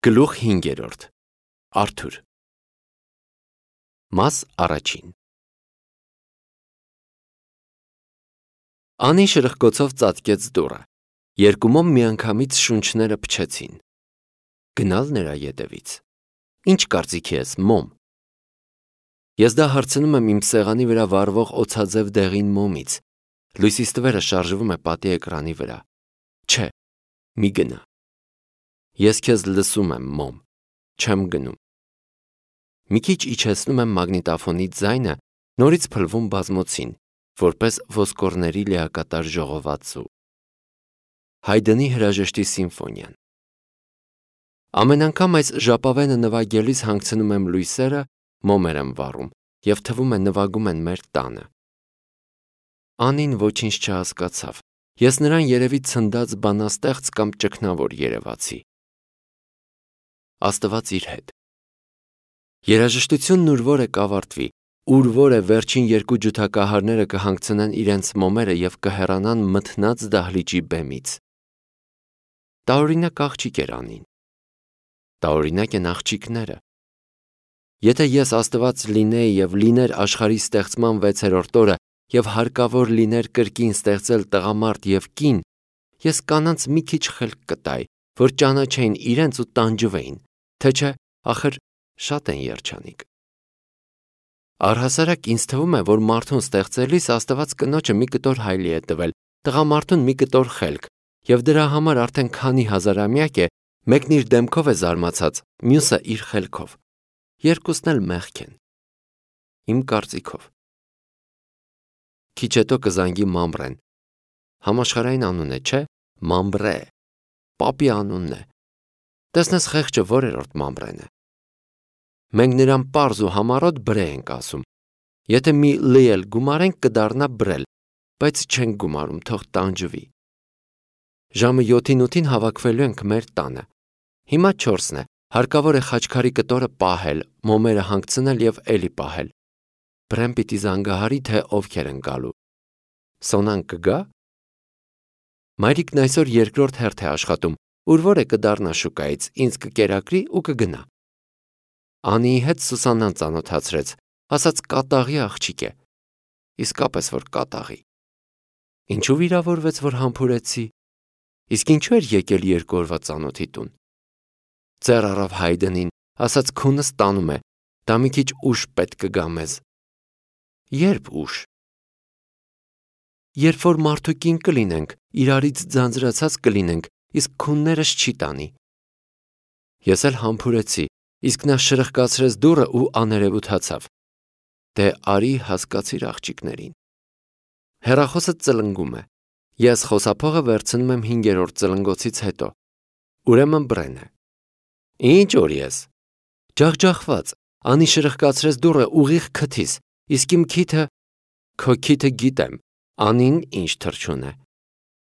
Գլուխ 5. Արթուր Մաս առաջին Անին շրխկոցով ծածկեց դուռը, երկումով միանգամից շունչները փչեցին, գնալ նրա ետևից, ինչ կարծիքի ես, մոմ, ես դա հարցնում եմ իմ սեղանի վրա վառվող օձաձև դեղին մոմից, լույսի ստվերը շարժվում է պատի էկրանի վրա, չէ, մի գնա, ես քեզ լսում եմ, մոմ, չեմ գնում, մի քիչ իջեցնում եմ մագնիտոֆոնի ձայնը, նորից փլվում բազմոցին, որպես ոսկորների լիակատար ժողովածու, Հայդնի հրաժեշտի սիմֆոնիան, ամեն անգամ այս ժապավենը նվագելիս հանգցնում եմ լույսերը, մոմեր եմ վառում և թվում է նվագում են մեր տանը, Անին ոչինչ չհասկացավ, ես նրան երևի ցնդած բանաստեղծ կամ ճգնավոր երևացի, Աստված իր հետ, երաժշտությունն ուր որ է կավարտվի, ուր որ է վերջին երկու ջութակահարները կհանգցնեն իրենց մոմերը և կհեռանան մթնած դահլիճի բեմից, տարօրինակ աղջիկ էր Անին, տարօրինակ են աղջիկները, եթե ես Աստված լինեի և լիներ աշխարհի ստեղծման 6-րդ օրը և հարկավոր լիներ կրկին ստեղծել տղամարդ և կին, ես կանանց մի քիչ խելք կտայի, որ ճանաչեին իրենց ու տանջվեին, թե չէ, ախր շատ են երջանիկ, առհասարակ ինձ թվում է, որ մարդուն ստեղծելիս Աստված կնոջը մի կտոր հայլի է տվել, տղամարդուն մի կտոր խելք և դրա համար արդեն քանի հազարամյակ է, մեկն իր դեմքով է զարմացած, մյուսը իր խելքով, երկուսն էլ մեղք են, իմ կարծիքով, քիչ հետո կզանգի Մամբրեն, համաշխարհային անուն է, չէ, Մամբրե, պապի անունն է, տեսնես խեղճը որերորդ Մամբրեն է, մենք նրան պարզ ու համառոտ Բրե ենք ասում, եթե մի Լ էլ գումարենք կդառնա Բրել, բայց չենք գումարում, թող տանջվի, ժամը 7-ին հավաքվելու ենք մեր տանը, հիմա 4-ն է, հարկավոր է խաչքարի կտորը պահել, մոմերը հանգցնել և էլի պահել, Բրեն պիտի զանգահարի, թե ովքեր են գալու, Սոնան կգա, մայրիկն այսօր երկրորդ հերթ է աշխատում, ուր որ է կդառնա շուկայից, ինձ կկերակրի ու կգնա, Անիի հետ Սուսաննան ծանոթացրեց, ասաց կատաղի աղջիկ է, իսկապես որ կատաղի, ինչու վիրավորվեց, որ համբուրեցի, իսկ ինչու էր եկել 2 օրվա ծանոթի տուն, ձեռ առավ Հայդնին, ասաց քունս տանում է, դա մի քիչ ուշ պետք կգա մեզ, երբ ուշ, երբ որ մարդուկին կլինենք, իրարից ձանձրացած կլինենք, իսկ քուններս չի տանի, ես էլ համբուրեցի, իսկ նա շրխկացրեց դուռը ու աներևութացավ, դե արի հասկացիր աղջիկներին, հեռախոսը ծլնգում է, ես խոսափողը վերցնում եմ 5-րդ ծլնգոցից հետո, ուրեմն Բրեն է, ինչ որ ես, ջախջախված, Անի շրխկացրեց դուռը ուղիղ քթիս, իսկ իմ քիթը, քո քիթը գիտեմ, Անին ինչ թռչուն է,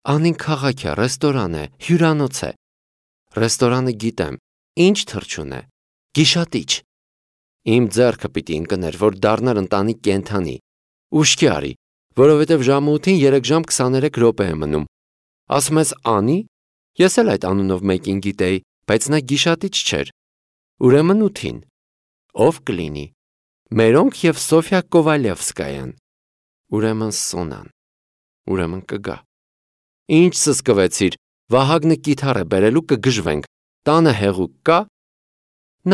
Անին քաղաք է, ռեստորան է, հյուրանոց է, ռեստորանը գիտեմ, ինչ թռչուն է, գիշատիչ, իմ ձեռքը պիտի ընկներ, որ դառնար ընտանիք կենդանի, ուշքի արի, որովհետև ժամը 8-ին 3 ժամ 23 րոպե է մնում, ասում ես Անի, ես էլ այդ անունով մեկին գիտեի, բայց նա գիշատիչ չէր, ուրեմն 8-ին, ով կլինի, Մերոնք և Սոֆյա Կովալևսկայան, ուրեմն Սոնան, ուրեմն կգա, ինչ սսկվեցիր, Վահագնը կիթառ է բերելու կգժվենք, տանը հեղուկ կա,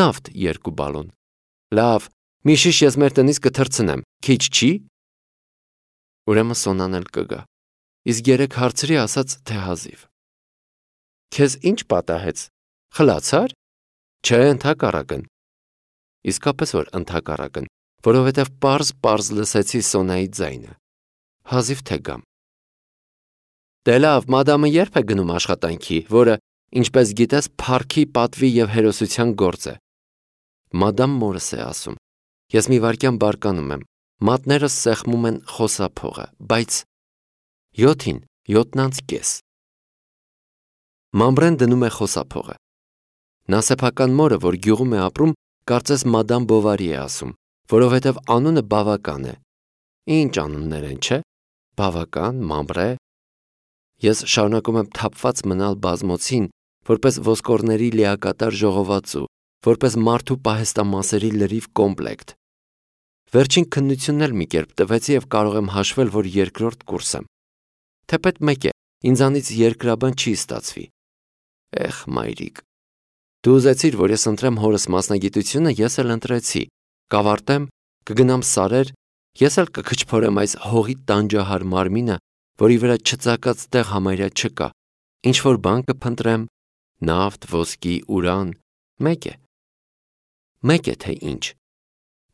նավթ 2 բալոն, լավ, մի շիշ ես մեր տնից կթռցնեմ, քիչ չի, ուրեմն Սոնան էլ կգա, իսկ 3 հարցրի ասաց թե հազիվ, քեզ ինչ պատահեց, խլացար, չէ ընդհակառակն, իսկապես որ ընդհակառակն, որովհետև պարզ լսեցի Սոնայի ձայնը, հազիվ թե գամ, դե լավ, մադամը երբ է գնում աշխատանքի, որը, ինչպես գիտես, փառքի, պատվի և հերոսության գործ է, մադամ մորս է ասում, ես մի վայրկյան բարկանում եմ, մատներս սեղմում են խոսափողը, բայց 7-ին, 7:30, Մամբրեն դնում է խոսափողը, նա սեփական մորը, որ գյուղում է ապրում, կարծես մադամ Բովարի է ասում, որովհետև անունը բավական է, ինչ անուններ են, չէ, բավական, Մամբրե, ես շարունակում եմ թափված մնալ բազմոցին, որպես ոսկորների լիակատար ժողովածու, որպես մարդու պահեստամասերի լրիվ կոմպլեկտ։ Վերջին քննությունն էլ մի կերպ տվեցի և կարող եմ հաշվել, որ երկրորդ կուրս եմ։ Թեպետ մեկ է, ինձանից երկրաբան չի ստացվի։ Էխ, մայրիկ, դու ուզեցիր, որ ես ընտրեմ հորս մասնագիտությունը, ես էլ ընտրեցի, կավարտեմ, կգնամ Սարեր, ես էլ կքչփորեմ այս հողի տանջահար մարմինը, որի վրա չծակած տեղ համարյա չկա, ինչ-որ բան կփնտրեմ, նավթ, ոսկի, ուրան, մեկ է թե ինչ,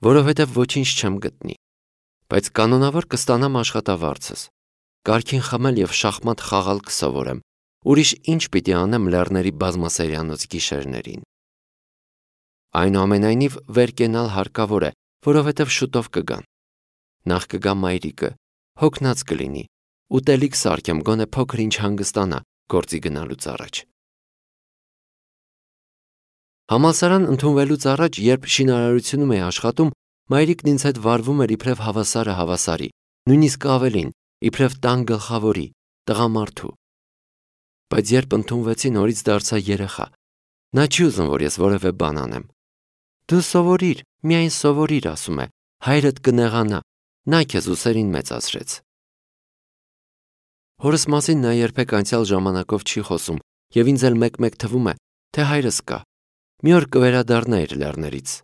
որովհետև ոչինչ չեմ գտնի, բայց կանոնավոր կստանամ աշխատավարձս, կարգին խմել և շախմատ խաղալ կսովորեմ, ուրիշ ինչ պիտի անեմ լեռների բազմասերյանոց գիշերներին։ Այնուամենայնիվ վեր կենալ հարկավոր է, որովհետև շուտով կգան։ Նախ կգա մայրիկը, հոգնած կլինի, ուտելիք սարքեմ, գոնե փոքր ինչ հանգստանա գործի գնալուց առաջ։ Համալսարան ընդունվելուց առաջ, երբ շինարարությունում էի աշխատում, մայրիկն ինձ հետ վարվում էր իբրև հավասարը հավասարի, նույնիսկ ավելին, իբրև տան գլխավորի, տղամարդու։ Բայց երբ ընդունվեցի, նորից դարձա երեխա։ Նա չի ուզում, որ ես որևէ բան անեմ։ Դու սովորիր, միայն սովորիր, ասում է, հայրդ կնեղանա, նա քեզ ուսերին մեծացրեց։ Հորս մասին նա երբեք անցյալ ժամանակով չի խոսում, և ինձ էլ մեկ-մեկ թվում է, թե հայրս կա։ Մի օր կվերադառնա իր լեռներից,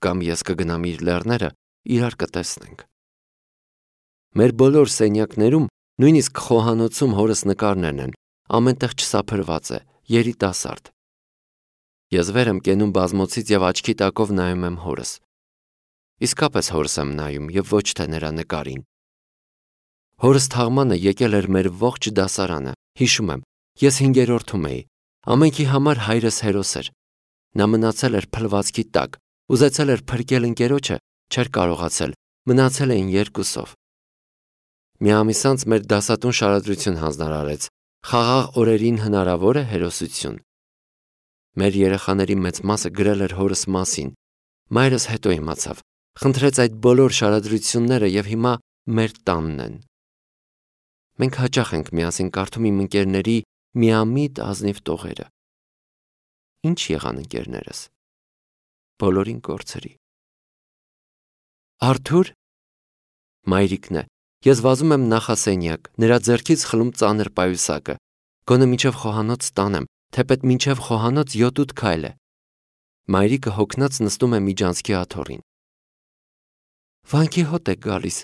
կամ ես կգնամ իր լեռները, իրար կտեսնենք։ Մեր բոլոր սենյակներում, նույնիսկ խոհանոցում հորս նկարներն են, ամենտեղ չսափրված է, երիտասարդ։ Ես վեր եմ կենում բազմոցից և աչքի տակով նայում եմ հորս։ Իսկապես հորս եմ նայում և ոչ թե նրա նկարին։ Հորս թաղմանը եկել էր մեր ողջ դասարանը, հիշում եմ, ես 5-րդում էի, ամենքի համար հայրս հերոս էր։ Նա մնացել էր փլվածքի տակ, ուզեցել էր փրկել ընկերոջը, չէր կարողացել, մնացել էին երկուսով։ Մի ամիս անց մեր դասատուն շարադրություն հանձնարարեց, խաղաղ օրերին հնարավոր է հերոսություն։ Մեր երեխաների մեծ մասը գրել էր հորս մասին, մայրս հետո իմացավ, խնդրեց այդ բոլոր շարադրությունները և հիմա մեր տանն են։ Մենք հաճախ ենք միասին կարդում իմ ընկերների միամիտ ազնիվ տողերը։ Ինչ եղան ընկերներս։ Բոլորին կորցրի։ Արթուր։ Մայրիկն է, ես վազում եմ նախասենյակ, նրա ձեռքից խլում ծանր պայուսակը, գոնե մինչև խոհանոց տանեմ, թեպետ մինչև խոհանոց 7-8 քայլ է։ Մայրիկը հոգնած նստում է միջանցքի աթոռին։ Վանքի հոտ է գալիս,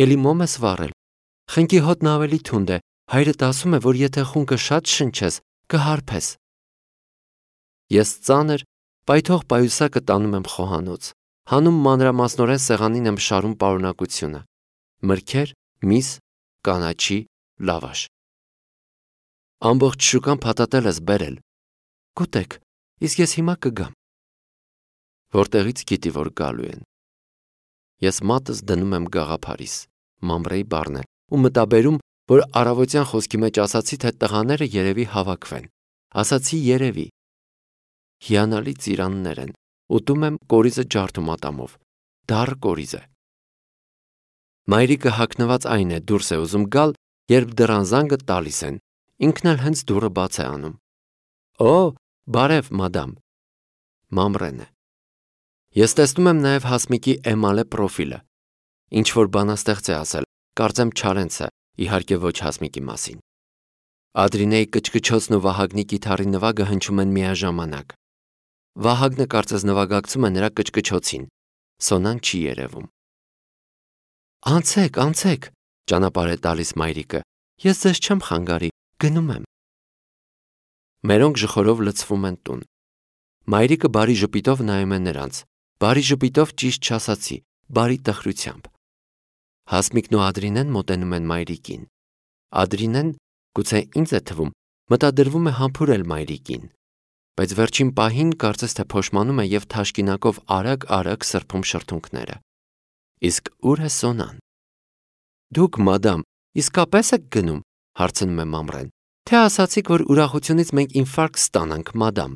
էլի մոմ ես վառել։ Խնկի հոտն ավելի թունդ է, հայրդ ասում է, որ եթե խունկը շատ շնչես, կհարբես։ Ես ծանր, պայթող պայուսակը տանում եմ խոհանոց, հանում մանրամասնորեն սեղանին եմ շարում պարունակությունը, մրգեր, միս, կանաչի, լավաշ։ Ամբողջ շուկան փաթաթել ես բերել։ Կուտեք, իսկ ես հիմա կգամ։ Որտեղից գիտի, որ գալու են։ Ես մատս դնում եմ գաղափարիս, մամրեի բառն է, ու մտաբերում, որ առավոտյան խոսքի մեջ ասացի, թե տղաները երևի հավաքվեն։ Ասացի երևի։ Հիանալի ծիրաններ են, ուտում եմ կորիզը ջարդում ատամով, դառը կորիզ է։ Մայրիկը հագնված այն է, դուրս է ուզում գալ, երբ դռան զանգը տալիս են, ինքն էլ հենց դուռը բաց է անում։ Օ, բարև, մադամ։ Մամրեն է։ Ես տեսնում եմ նաև Հասմիկի էմալե պրոֆիլը։ Ինչ-որ բանաստեղծ է ասել, կարծեմ Չարենցը, իհարկե ոչ Հասմիկի մասին։ Ադրինեի կչկչոցն ու Վահագնի կիթառի նվագը հնչում են միաժամանակ։ Վահագնը կարծես նվագակցում է նրա կչկչոցին, Սոնան չի երևում։ Անցեք, անցեք, ճանապարհ է տալիս մայրիկը, ես ձեզ չեմ խանգարի, գնում եմ։ Մերոնք ժխորով լցվում են տուն։ Մայրիկը բարի ժպիտով նայում է նրանց, բարի ժպիտով ճիշտ չասացի, բարի տխրությամբ։ Հասմիկն ու Ադրինեն մոտենում են մայրիկին։ Ադրինեն, գուցե ինձ է թվում, մտադրվում է համբուրել մայրիկին, բայց վերջին պահին կարծես թե փոշմանում է և թաշկինակով արագ-արագ սրբում շրթունքները։ Իսկ ուր է Սոնան։ Դուք, մադամ, իսկապես եք գնում, հարցնում է մամրեն, թե ասացիք, որ ուրախությունից մենք ինֆարկտ ստանանք, մադամ։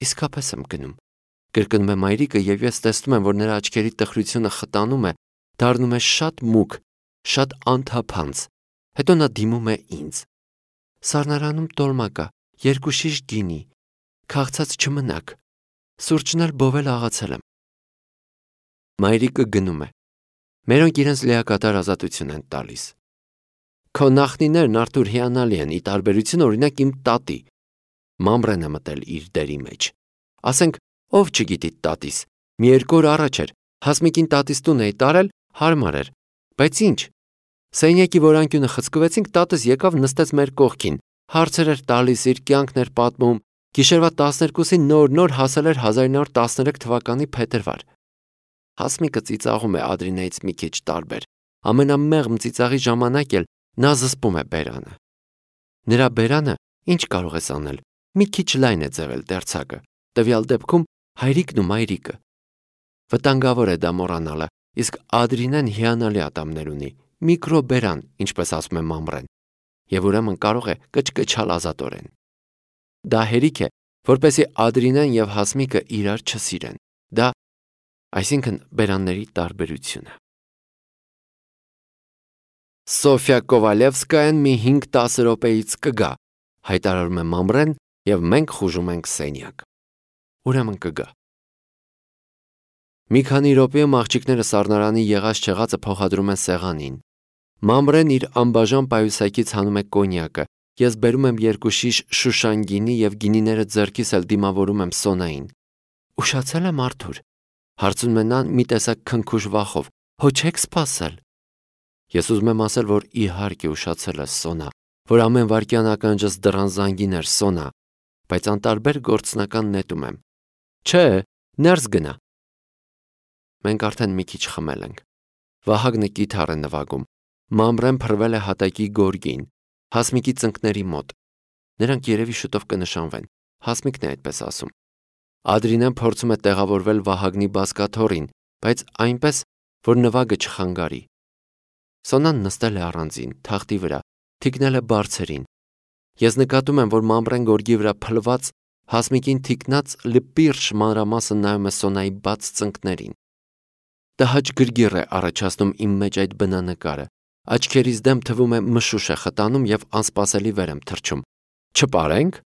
Իսկապես եմ գնում, կրկնում է մայրիկը և ես տեսնում եմ, որ նրա աչքերի տխրությունը խտանում է, դառնում է շատ մուգ, շատ անթափանց, հետո նա դիմում է ինձ։ Սառնարանում տոլմա կա, երկու շիշ գինի, քաղցած չմնաք, սուրճն էլ բովել աղացել եմ։ Մայրիկը գնում է։ Մերոնք իրենց լիակատար ազատություն են տալիս։ Քո նախնիներն Արթուր հիանալի են, ի տարբերություն օրինակ իմ տատի։ Մամրեն է մտել իր դերի մեջ։ Ասենք, ով չգիտի տատիս, մի երկու օր առաջ էր, Հասմիկին տատիս տուն էի տարել, հարմար էր, բայց ինչ։ Սենյակի որանկյունը խցկվեցինք, տատս եկավ նստեց մեր կողքին, հարցեր էր տալիս, իր կյանքն էր պատմում, գիշերվա 12-ին նոր հասել էր 1913 թվականի փետրվար։ Հասմիկը ծիծաղում է Ադրինեից մի քիչ տարբեր, ամենամեղմ ծիծաղի ժամանակ էլ նա զսպում է բերանը։ Նրա բերանը, ինչ կարող ես անել, մի քիչ լայն է ձևել դերձակը, տվյալ դեպքում հայրիկն ու մայրիկը։ Վտանգավոր է դա մոռանալը, իսկ Ադրինեն հիանալի ատամներ ունի, միկրոբերան, ինչպես ասում է Մամրեն, եւ ուրեմն կարող է կչկչալ ազատորեն։ Դա հերիք է, որպեսզի Ադրինեն եւ Հասմիկը իրար չսիրեն։ Դա, այսինքն բերանների տարբերությունը։ Սոֆիա Կովալևսկայան մի 5-10 րոպեից կգա, հայտարարում է Մամրեն եւ մենք խուժում ենք սենյակ։ Ուրեմն կգա։ Մի քանի րոպեում աղջիկները սառնարանի եղած-չեղածը փոխադրում են սեղանին։ Մամրեն իր անբաժան պայուսակից հանում է կոնյակը, ես բերում եմ 2 շիշ շուշան գինի եւ գինիները ձեռքիս էլ դիմավորում եմ Սոնային։ Ուշացել եմ Արթուր, հարցնում է նա մի տեսակ քնքուշ վախով, հո չեք սպասել։ Ես ուզում եմ ասել, որ իհարկե ուշացել ես Սոնա, որ ամեն վայրկյան ականջս դռան զանգին էր Սոնա, բայց անտարբեր գործնական նետում եմ։ Չէ, ներս գնա։ Մենք արդեն մի քիչ խմել ենք։ Վահագնը կիթառ է նվագում։ Մամրեն փռվել է հատակի գորգին, Հասմիկի ծնկների մոտ։ Նրանք երևի շուտով կնշանվեն։ Հասմիկն է այդպես ասում։ Ադրինեն փորձում է տեղավորվել Վահագնի բազկաթոռին, բայց այնպես, որ նվագը չխանգարի։ Սոնան նստել է առանձին, թախտի վրա, թիկնել է բարձերին։ Ես նկատում եմ, որ Մամրեն գորգի վրա փլված, Հասմիկին թիկնած լպիրշ մանրամասը նայում է Սոնայի բաց ծնկներին։ Տհաճ գրգիռ է առաջացնում իմ մեջ այդ բնանկարը։ Աչքերիս դեմ թվում է մշուշ է խտանում եւ անսպասելի վեր եմ թռչում։ Չպարենք։